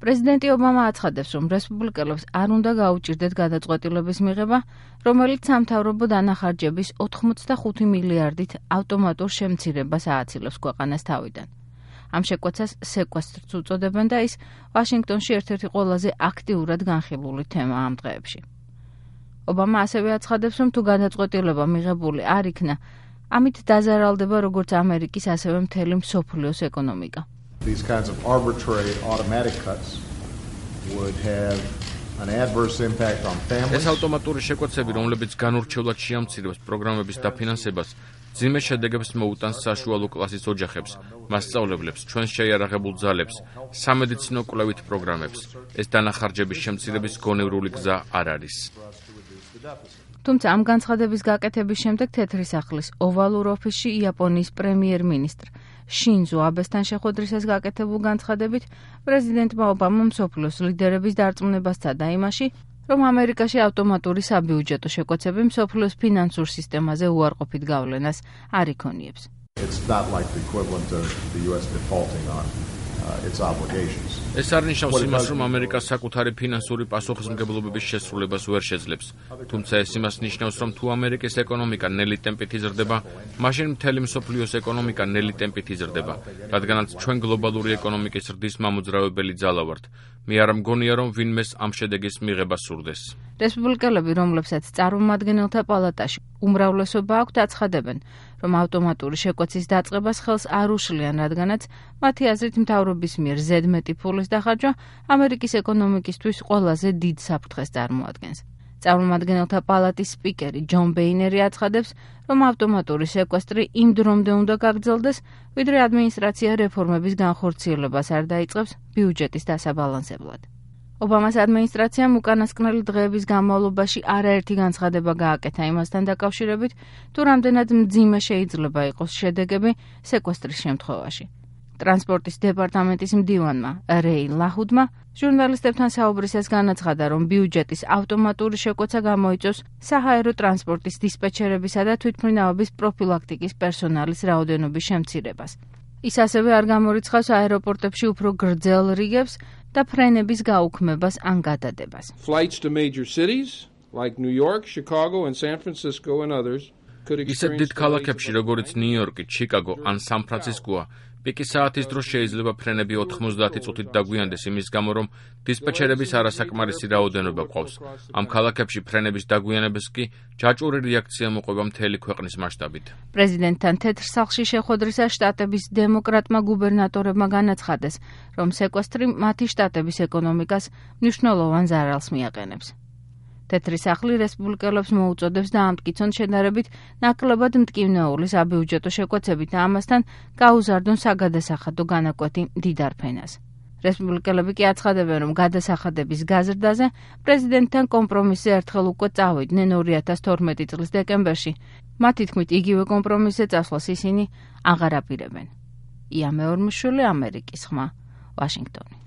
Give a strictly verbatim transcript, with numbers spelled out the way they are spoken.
პრეზიდენტი ობამა აცხადებს, რომ რესპუბლიკელებს არ უნდა გაუჭირდეთ გადაწყვეტილების მიღება, რომელიც სამთავრობო დანახარჯების ოცდახუთი მილიარდით ავტომატურ შემცირებას ააცილებს ქვეყანას თავიდან. ამ შეკვეცას სეკვესტრს უწოდებენ და ის ვაშინგტონში ერთ-ერთი ყველაზე აქტიურად განხილული თემაა ამ დღეებში. ობამა ასევე აცხადებს, რომ თუ გადაწყვეტილება მიღებული არ იქნა, ამით დაზარალდება როგორც ამერიკის, ასევე მთელი მსოფლიოს ეკონომიკა. These kinds of arbitrary automatic cuts would have an adverse impact on families. ეს ავტომატური შეკვეცები, რომლებიც განურჩევლად შეამცირებს პროგრამების დაფინანსებას, ძიმე შედეგებს მოუტანს საშუალო კლასის ოჯახებს, მასწავლებლებს, ჩვენს შეიარაღებულ ძალებს, სამედიცინო კვლევით პროგრამებს. ეს დანახარჯების შემცირების გონევრული გზა არ არის. თუმცა ამ განცხადების გაკეთების შემდეგ თეთრი სახლის ოვალურ ოფისში იაპონიის პრემიერ-მინისტრ შინზო აბესთან შეხვედრისას გაკეთებულ განცხადებით პრეზიდენტმა ობამამ მსოფლიოს ლიდერების დარწმუნებას სცადა იმაში, რომ ამერიკაში ავტომატური საბიუჯეტო შეკვეცები მსოფლიოს ფინანსურ სისტემაზე უარყოფით გავლენას არ იქონიებს. It's not like the equivalent of the U S defaulting on uh, its obligations. ეს არ ნიშნავს იმას, რომ ამერიკა საკუთარი ფინანსური პასუხისმგებლობების შესრულებას ვერ შეძლებს. თუმცა ეს იმას ნიშნავს, რომ თუ ამერიკის ეკონომიკა ნელი ტემპით იზრდება, მაშინ მთელი მსოფლიოს ეკონომიკა ნელი ტემპით იზრდება, რადგანაც ჩვენ გლობალური ეკონომიკის ზრდის მამოძრავებელი ძალა ვართ. მე არ მგონია, რომ ვინმეს ამ შედეგის მიღება სურდეს. რესპუბლიკელები, რომლებსაც წარმომადგენელთა პალატაში უმრავლესობა აქვთ, აცხადებენ, რომ ავტომატური შეკვეცის დაწყებას ხელს არ უშლიან, რადგანაც მათი აზრით მთავრობის მიერ ზედმეტი ფულის დახარჯვა ამერიკის ეკონომიკისთვის ყველაზე დიდ საფრთხეს წარმოადგენს. წარმომადგენელთა პალატის სპიკერი ჯონ ბეინერი აცხადებს, რომ ავტომატური შეკვესტრი იმ დრომდე უნდა გაგრძელდეს, ვიდრე ადმინისტრაცია რეფორმების განხორციელებას არ დაიწყებს ბიუჯეტის დასაბალანსებლად. ობამას ადმინისტრაციამ უკანასკნელი დღეების განმავლობაში არაერთი განცხადება გააკეთა იმასთან დაკავშირებით, თუ რამდენად მძიმე შეიძლება იყოს შედეგები სეკვესტრის შემთხვევაში. ტრანსპორტის დეპარტამენტის მდივანმა რეი ლაჰუდმა ჟურნალისტებთან საუბრისას განაცხადა, რომ ბიუჯეტის ავტომატური შეკვეცა გამოიწვევს საჰაერო ტრანსპორტის დისპეჩერებისა და თვითმფრინავების პროფილაქტიკის პერსონალის რაოდენობის შემცირებას. ის ასევე არ გამორიცხავს აეროპორტებში უფრო გრძელ რიგებს და ფრენების გაუქმებას ან გადადებას. Flights to major cities like New York, Chicago and San Francisco and others could experience ისეთ დიდ ქალაქებში, როგორც ნიუ-იორკი, ჩიკაგო ან სან-ფრანცისკოა, პიკი საათის დროს შეიძლება ფრენები ოთხმოცდაათი წუთით დაგვიანდეს იმის გამო, რომ დისპეჩერების არასაკმარისი რაოდენობა გვყავს. ამ ქალაქებში ფრენების დაგვიანებას კი ჯაჭვური რეაქცია მოყვება მთელი ქვეყნის მასშტაბით. პრეზიდენტთან თეთრ სახლში შეხვედრისას შტატების დემოკრატმა გუბერნატორებმა განაცხადეს, რომ სეკვესტრი მათი შტატების ეკონომიკას მნიშვნელოვან ზარალს მიაყენებს. თეთრი სახლი რესპუბლიკელებს მოუწოდებს დაამტკიცონ შედარებით ნაკლებად მტკივნეული საბიუჯეტო შეკვეცებით და ამასთან გაუზარდონ საგადასახადო განაკვეთი მდიდარ ფენას. რესპუბლიკელები კი აცხადებენ, რომ გადასახადების გაზრდაზე პრეზიდენტთან კომპრომისზე ერთხელ უკვე წავიდნენ ორი ათას თორმეტი წლის დეკემბერში. მათი თქმით, იგივე კომპრომისზე წასვლას ისინი აღარ აპირებენ. ია მეორმუშვილი, ამერიკის ხმა, ვაშინგტონი.